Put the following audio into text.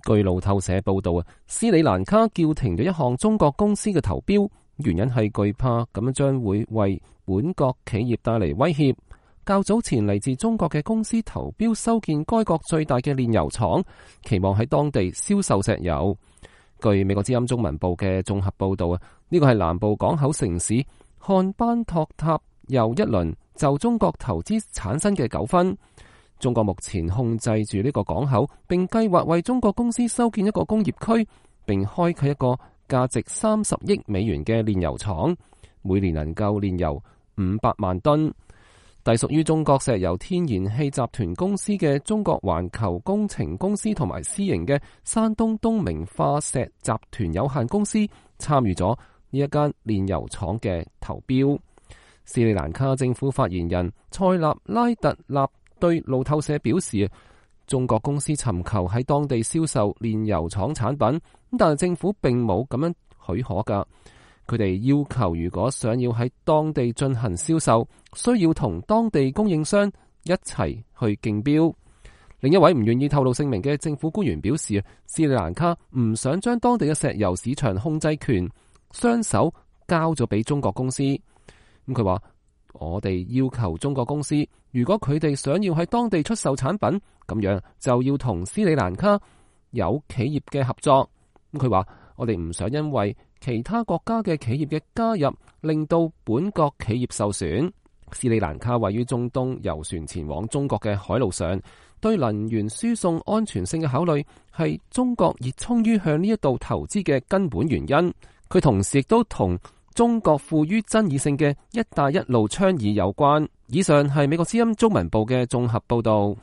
據路透社報道，斯里蘭卡叫停咗一項中國公司嘅投標，原因係懼怕咁樣將會為本國企業帶嚟威脅。較早前嚟自中國嘅公司投標修建該國最大嘅煉油廠，期望喺當地銷售石油。據美國之音中文報嘅綜合報道，呢個係南部港口城市漢班托塔又一輪就中國投資產生嘅糾紛。中國目前控制住呢個港口，並計劃為中國公司修建一個工業區，並開啟一個價值30億美元嘅煉油廠，每年能夠煉油500萬噸。隸屬於中國石油天然氣集團公司嘅中國環球工程公司同埋私營嘅山東東明化石集團有限公司參與咗呢一間煉油廠嘅投標。斯里蘭卡政府發言人塞納拉特納對路透社表示，中國公司尋求喺當地銷售煉油廠產品，但係政府並冇咁樣許可㗎。佢哋要求，如果想要喺當地進行銷售，需要同當地供應商一齊去競標。另一位唔願意透露姓名嘅政府官員表示，斯里蘭卡唔想將當地嘅石油市場控制權雙手交咗俾中國公司。佢話，我哋要求中國公司，如果佢哋想要喺當地出售產品，咁樣就要同斯里蘭卡有企業嘅合作。佢話，我哋唔想因為其他國家嘅企業嘅加入，令到本國企業受損。斯里蘭卡位於中東，遊船前往中國嘅海路上，對能源輸送安全性嘅考慮係中國熱衷於向呢一度投資嘅根本原因。佢同時亦都同中國富於爭議性嘅一帶一路倡議有關。以上係美國之音中文部嘅綜合報道。